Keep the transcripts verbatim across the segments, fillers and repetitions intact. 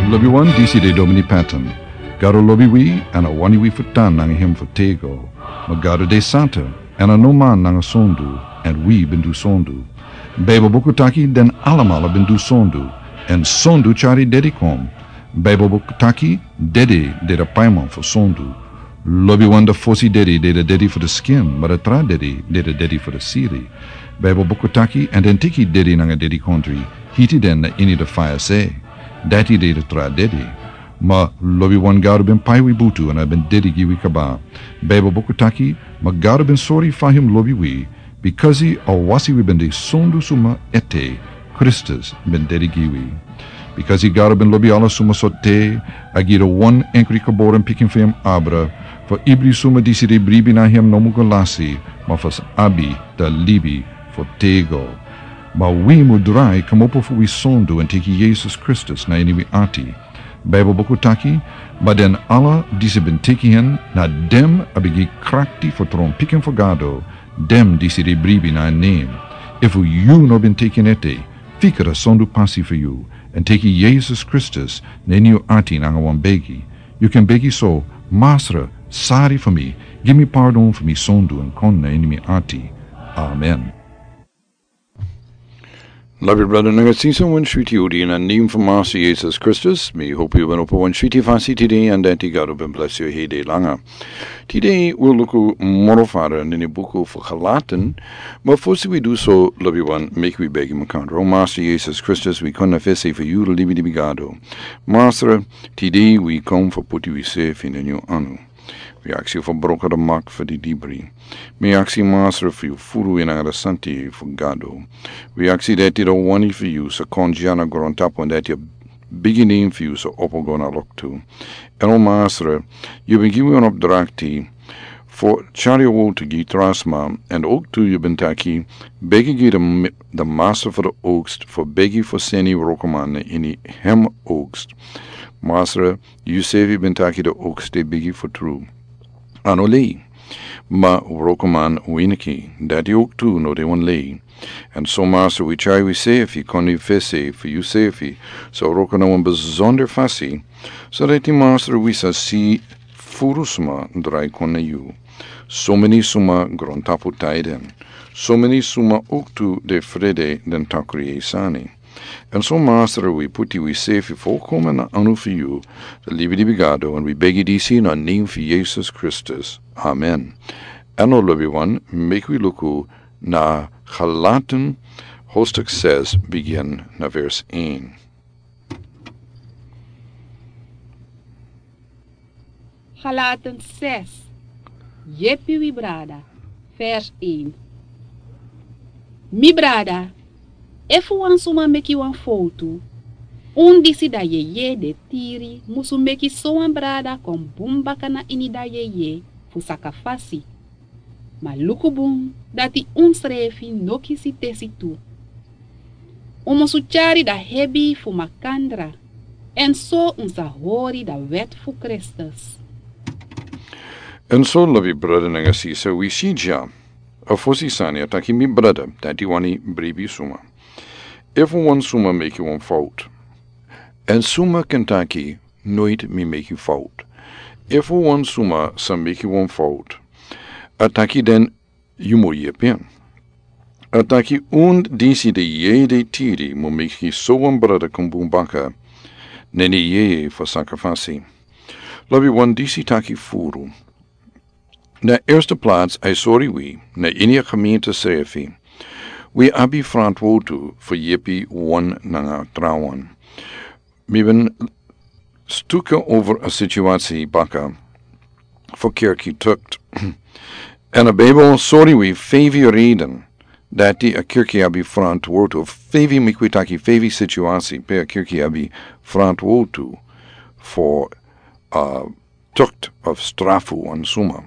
Lobi wan, disi de Domini Patton. Gado lobi wi, èn a wani wi fu tan nanga hem fu tego. Ma Gado de santa, èn a no man nanga sondu, èn wi ben du sondu. Baibel buku taki den alamala ben du sondu, èn sondu tyari dedi kon. Baibel buku taki dedi de da paiman fu sondu. Lobi wan, da fosi dedi de da dedi fu da skin, ma da tra dedi de da dedi fu da siri. Baibel buku taki, èn den teki dedi nanga dedikondri, hiti den na ini da faya se. Dati de da tra dedi. Ma lobi wan, Gado ben pai wi butu èn a ben dedi gi wi kaba. Baibel buku taki, ma Gado ben sori fa hem lobi wi, bikasi a wasi wi ben de sondu suma ete, Kristus ben dedi gi wi. Bikasi Gado ben lobi ala suma so te, a gi da wan enkri geboren pikin fu hem abra, fu ibri suma disi de bribi na hem no mu go lasi, ma fu sa abi da libi fu tego. Ma wi mu drai kmopo fu wi sondu èn teki Yesus Kristus na ini wi ati. Baibel buku taki, ma den ala disi ben teki hen, na den a ben gi krakti fu tron pikin fu Gado, den disi de bribi na en nen. Efu yu no ben teki en ete, fika da sondu pasi fu yu, èn teki Yesus Kristus na ini yu ati nanga wan begi. Yu kan begi so: Masra, sari fu mi, gi mi pardon fu mi sondu èn kon na ini mi ati. Amen. Lobi brada nanga sisa, wan switi odi na nen fu Masra Yesus Kristus. Mi hopi yu ben opo wan switi fasi tide, èn dati Gado ben blesi yu hede langa. Tide wi luku moro fara na ini buku fu Galatan, ma fosi wi du so, lobi wan, meki wi begi makandra. O Masra Yesus Kristus, wi kon na fesi fu yu, libi libi Gado. Masra, tide wi kon fu puti wi sefi na ini yu anu. Wi aksi fu broka da mak fu di dibri. Mi aksi Masra fu yu furu wi nanga da santi fu Gado. Wi aksi dati da wani fu yu sa kon dya na grontapu, èn dati a bigi nen fu yu sa opo go na loktu. Èn o Masra, yu ben gi wi wan opdrakti fu tyari a wowtu gi tra sma, èn oktu yu ben taki, begi gi da m-, da Masra fu da oaks fu begi fu seni wrokoman na ini hem oaks. Masra, yu sefi ben taki da oaks de bigi fu tru. A no lei. Ma wrokoman winiki, dati oktu no de wan lei. Èn so Masra, wi tyari wi sefi kon na yu fesi fu yu sefi sa wroko na wan besonder fasi, so dati Masra, wi sa si furu sma drai kon na yu. Someni sma grontapu tai den. Someni sma oktu de frede den takri e sani. Èn so Masra, wi puti wi sefi folkomen na anu fu yu, da libi libi Gado, èn wi begi disi na nen fu Yesus Kristus. Amen. Èn o lobi wan, meki wi luku na Galatan hoofdstuk zes, bigin na vers één. Galatan zes. Yepi wi brada. Vers één. Mi brada, efu wan suma meki wan fowtu, un disi da yeye de tiri musu meki sowan brada kon bun baka na ini da yeye fu saka fasi. Ma luku bun dati unsrefi no kisi tesi tu. Un musu tyari da hebi fu makandra, èn so un sa hori da wet fu Kristus. Èn so, lobi brada nanga sisa, wi si dya, a fosi sani a taki mi brada, dati wani bribi suma. Efu wan suma meki wan fowtu, èn suma kan taki, noiti mi meki fowtu. Efu wan suma sa meki wan fowtu, a taki den yu mu yepi en. A taki un disi de yeye de tiri mu meki sowan brada kon bun baka na ini yeye fu saka fasi. Lobi wan, disi taki furu. Na erste plaats a e sori wi, na ini a gemeente srefi, wi abi frantwortu fu yepi wan nanga trawan. Mi ben stuka over a situasi baka fu kerki tukt. Èn a Bijbel sori wi feifi reden dati a kerki abi frantwortu, feifi, meki wi taki feifi situasi pe a kerki abi frantwortu fu, uh, tukt of strafu wan suma.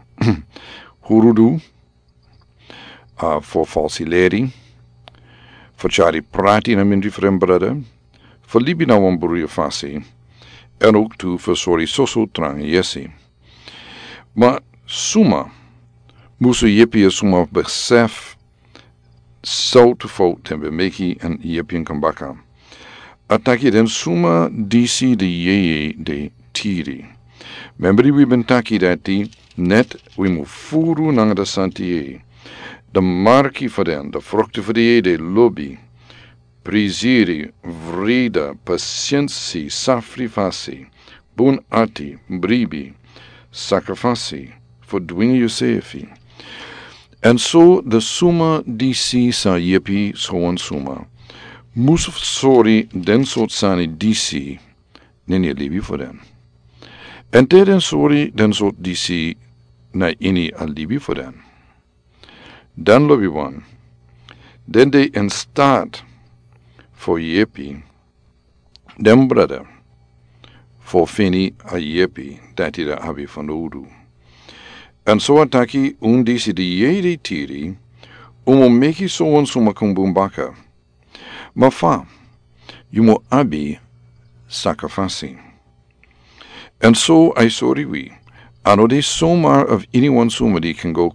Hurudu, a, fu falsi leri, fu tyari prati na mindri fu den brada, fu libi na wan bruya fasi, èn ook tu fu sori soso tranga yesi. Ma suma musu yepi a suma besef sortu fowtu den ben meki èn yepi en kon baka. A taki den suma disi de yeye de tiri. Membri wi ben taki dati, net wi mu furu nanga de santi yeye. De marki fu den, de frokti fu de yeye de lobi, priziri, vrida, pasiensi, safri fasi, bun ati, bribi, saka fasi, fu dwingi yusefi. Èn so de suma disi sa yepi so wan suma, mus sori den sortu sani disi na ini a libi fu den. Èn te den sori den sortu disi na ini a libi fu den, dan lobi wan, den de in staat fu yepi den brada fu fini a yepi dati den abi fanowdu. Èn so a taki un disi de yeye de tiri, un mu meki so wan suma kon bun baka. Ma fa, yu mu abi saka fasi. Èn so a e sori wi, a no de somar of ini wan suma di kan go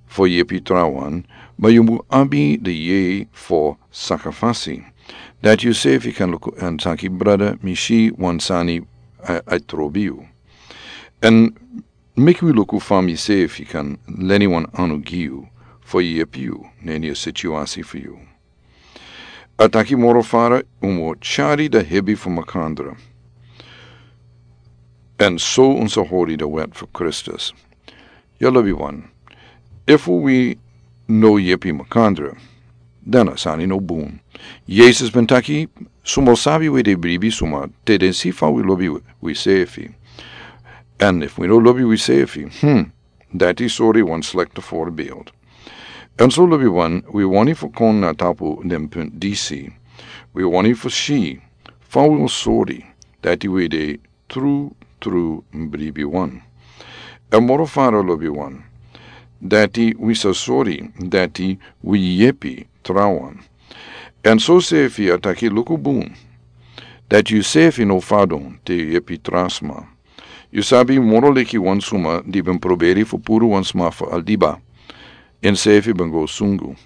fu yepi trawan, ma yu mu abi de yeye fu saka fasi. Dati yusefi kan luku èn taki, brada, mi si wan sani a, a e trobi yu. Èn meki wi luku fa misefi kan leni wan anu gi yu fu yepi yu na ini a situasi fu yu. A taki moro fara, un mu tyari de hebi fu makandra. Èn so un sa hori de wet fu Kristus. Yu lobi wan, efu wi no yepi makandra, dan a sani no bun. Yesus ben taki, suma o sabi wi de bribi suma te den si fa wi lobi wi, wisefi. Èn efu wi no lobi wisefi, hmm, dati sori wan slekte voorbeeld. Èn so lobi wan, wi wani fu kon na tapu den punt disi. Wi wani fu si fa wi o sori dati wi de tru, tru bribi wan. Èn moro fara lobi wan, dati wi sa sori dati wi yepi trawan. Èn so sefi a taki luku bun, dati yusefi no fadon te yu yepi tra sma. Yu sabi moro leki wan suma di ben proberi fu puru wan sma fu a liba, ensefi ben go sungu.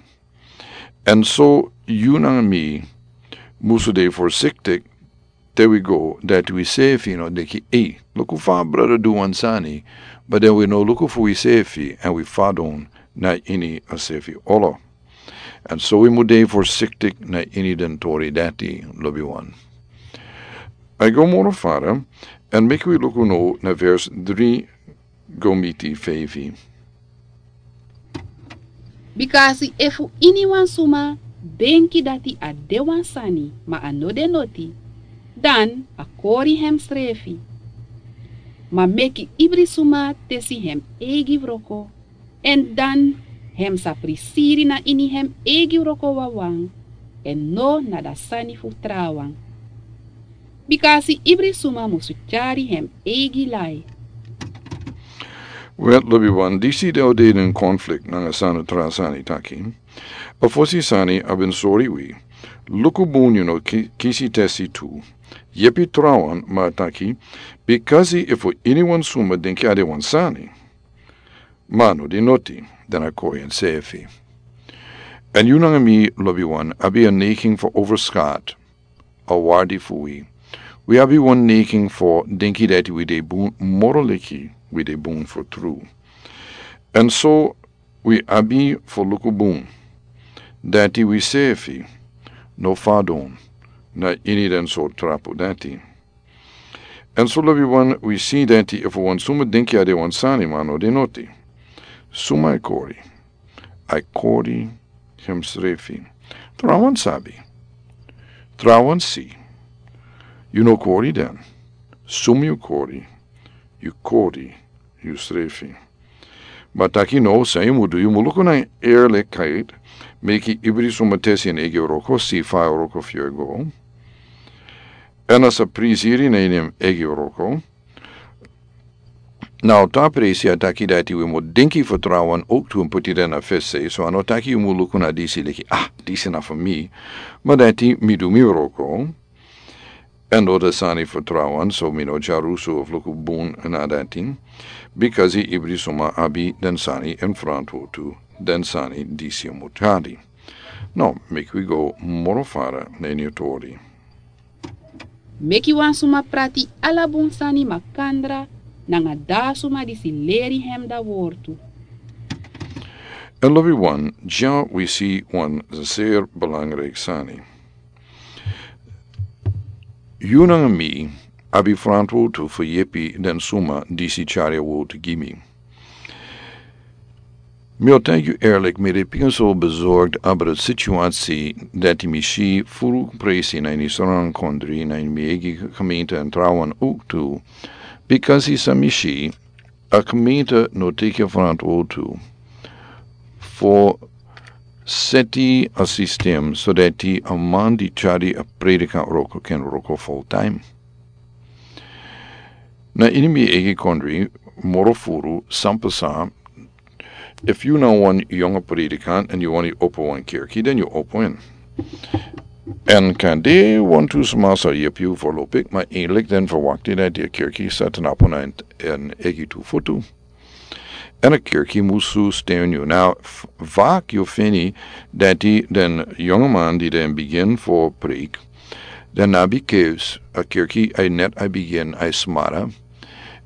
Èn so yu nanga mi musu de forsiktik te wi go dati wisefi no denki, ei, luku fa a brada du wan sani, ma den wi no luku fu wisefi èn wi fadon na ini a sefi olo. Èn so wi mu de forsiktik na ini den tori dati, lobi wan. A e go moro fara, èn meki wi luku no na vers dri go miti feifi. Bikasi efu ini wan suma denki dati a de wan sani, ma a no de noti, dan a kori hemsrefi. Ma meki ibri suma tesi hem eigi wroko, èn dan hem sa prisiri na ini hem eigi wroko wawan, èn no na da sani fu trawan. Bikasi ibri suma musu tyari hem eigi lai. Wel, lobi wan, disi de o de den konflikt nanga san a tra sani taki. A fosi sani a ben sori wi. Luku bun yu no ki-, kisi tesi tu. Yepi trawan, ma a taki, bikasi efu iniwan suma denki a de wan sani, ma a no de noti, dan a kori ensefi. Èn yu nanga mi, lobi wan, abi a neiking fu overskat a wardi fu wi. Wi abi wan neiking fu denki dati wi de bun, moro leki wi de bun fu tru. Èn so wi abi fu luku bun dati wisefi no fadon na ini den sortu trapu dati. Èn so, lobi wan, wi si dati efu wan suma denki a de wan sani, ma a no de noti, suma a e kori? A e kori hemsrefi. Trawan sabi. Trawan si. Yu no kori den. Suma yu kori? Yu kori yusrefi. Ma taki no, san yu mu du, yu mu luku na eerlijkheid, meki ibri suma tesi en eigi wroko, si fa a wroko fu yu e go. Èn a sa prisiri na ini en eigi wroko. Now, ta presi a taki dati wi mu denki fu trawan ook tu en puti den na fesi, so a no taki yu mu luku na disi leki, ah, disi na fu mi. Ma dati mi du mi wroko. Èn no den sani fu trawan, so mi no dyarusu of luku bun na dati. Bikasi ibri suma abi den sani en frantwortu, den sani disi yu mu tyari. Now, meki wi go moro fara na ini a tori. Meki wan suma prati ala bun sani makandra nanga da suma disi leri hem da wortu. En lobi wan, dya wi si wan zeer belangrijk sani. Yu nanga mi abi frantwortu fu yepi den suma disi tyari a wortu gi mi. Mi o taigi yu eerlijk, mi de pikin so bezorgd abra situatie dati mi si furu presi na ini Sranan kondri na ini mi eigi gemeente en trouwen ook tu. Because is a mi si, a gemeente no teki frantwortu fu seti a systeem so dati a man di tyari a predikant roko ken roko full time. Na ini mi eigi kondri, moro furu, san pasa, if yu na wan yonge predikant en yu wani opo wan kerki, dan yu opo en. En kan de wan tu sma sa yepi yu voorlopig, maar eigenlijk dan verwacht yu dat de kerki sa tnapo na en, en eigi tu fotu. En a kerki musu steun yu. Na, f-, vaak yu fini dati den yonge man di den begin fu preek, den abi keus, a kerki a net a begin a smara.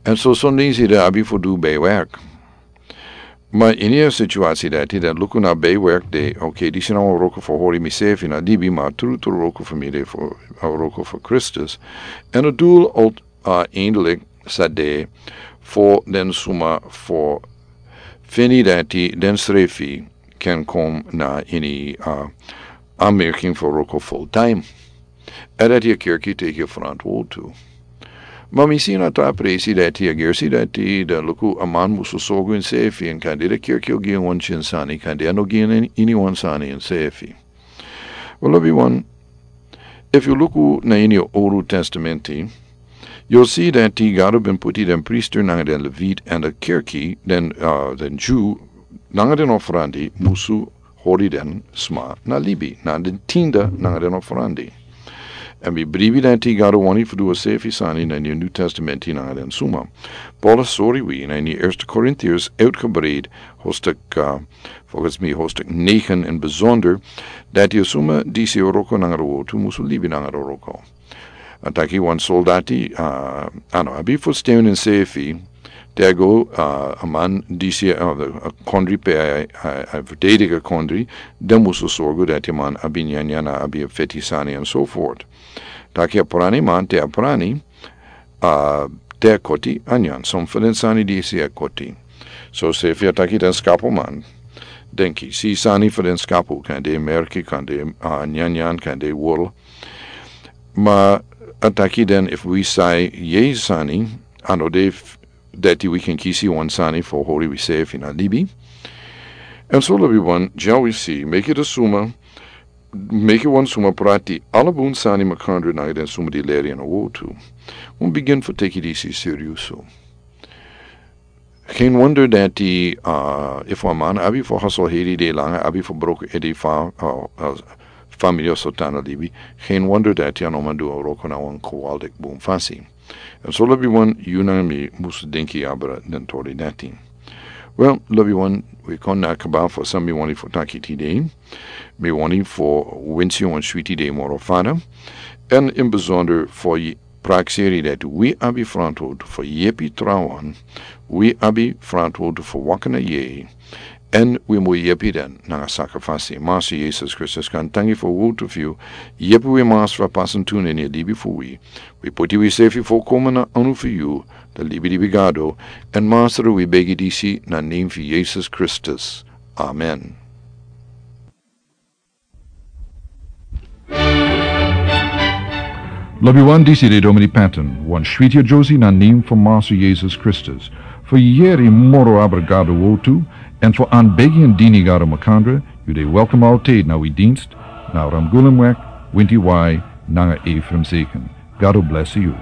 En so son disi den abi fu du bijwerk. Maar in a situatie dati den luku na bijwerk de, oké, disi na wan roko fu hori mi sefi na libi, maar tru tru roko fu mi de fu, a roko fu Christus. En a doel al a eindelijk sa de fu den suma fu fini dati den srefi ken kom na ini a aanmerking fu roko full time. En dati a kerki teki frantwortu. Maar mi si na ta presi dati a gersi dati den luku a man musu sorgu en sefi en kan de de kerki o gi en wan tyin sani kan de a no gi en ini wan sani en sefi. Wel, lobi wan, if yu luku na ini a Old Testamenti, yu si dati Gado ben puti den priester nanga den Levit en de kerki, den, uh, den Jew, nanga den ofrandi, musu hori den sma na libi, na den tinda nanga den ofrandi. En mi bribi dati Gado wani fu du a sefi sani na ini a New Testamenti nanga den suma. Paulus sori wi na ini Eerste Korintiërs uitgebreid hoofdstuk, uh, volgens mi hoofdstuk negen in bijzonder, dati a suma disi a roko nanga a wortu musu libi nanga a roko. A taki wan soldati, uh, a no abi fu steun en sefi, te a go, uh, a man disi, uh, a kondri pe a, a, a verdedig a kondri, den musu sorgu dati a man abi nyanyan, abi a feti sani en so voort. Taki a prani man, te a prani, a te a koti a nyan, son fu den sani disi a koti. So sefi a taki den skapu man. Den kisi sani fu den skapu, kan de merki, kan de, uh, nyanyan, kan de wol. Maar a taki den, if wi sai yeye sani, a no de f-, dati wi ken kisi wan sani fu hori wi sefi na libi. En so lobi wan, dya wi si, meki de suma, meki wan suma prati ala bun sani makandra nanga den suma di leri en a wortu. Un begin fu teki disi seriusu. Geen wonder dati, uh, if wan man abi fu haso heri de langa, abi fu broko edi fa, uh, uh, famili o so tan na libi. Geen wonder dati a no man du a roko na wan kowaldik bun fasi. En so lobi wan, yu nanga mi musu denki abra den tori dati. Wel, lobi wan, wi kon na kaba fu san mi wani fu taki tide. Mi wani fu winsi wan switi dei moro fada. En in bijzonder fu prakseri dati wi abi frantwortu fu yepi trawan, wi abi frantwortu fu waka na yeye, en wi mu yepi den nanga sakrifisi. Masra Yesus Kristus, kan tangi fu a wortu fu yu, yepi wi Masra fu a pasen tu na ini a libi fu wi. Wi poti wi sefi fu koma na anu fu yu, da libi libi Gado, en Masra wi begi disi na name fu Yesus Kristus. Amen. Lobi wan, disi de Domini Patton, wan switi a Josie na name fu Masra Yesus Kristus. Fu yeri moro abra Gado wortu, en fu anbegi en dini Gado makandra, yu de welkom altijd na wi dienst, na Ramgulumweg, winti wai, nanga Ephraim Zeken. Gado bless yu.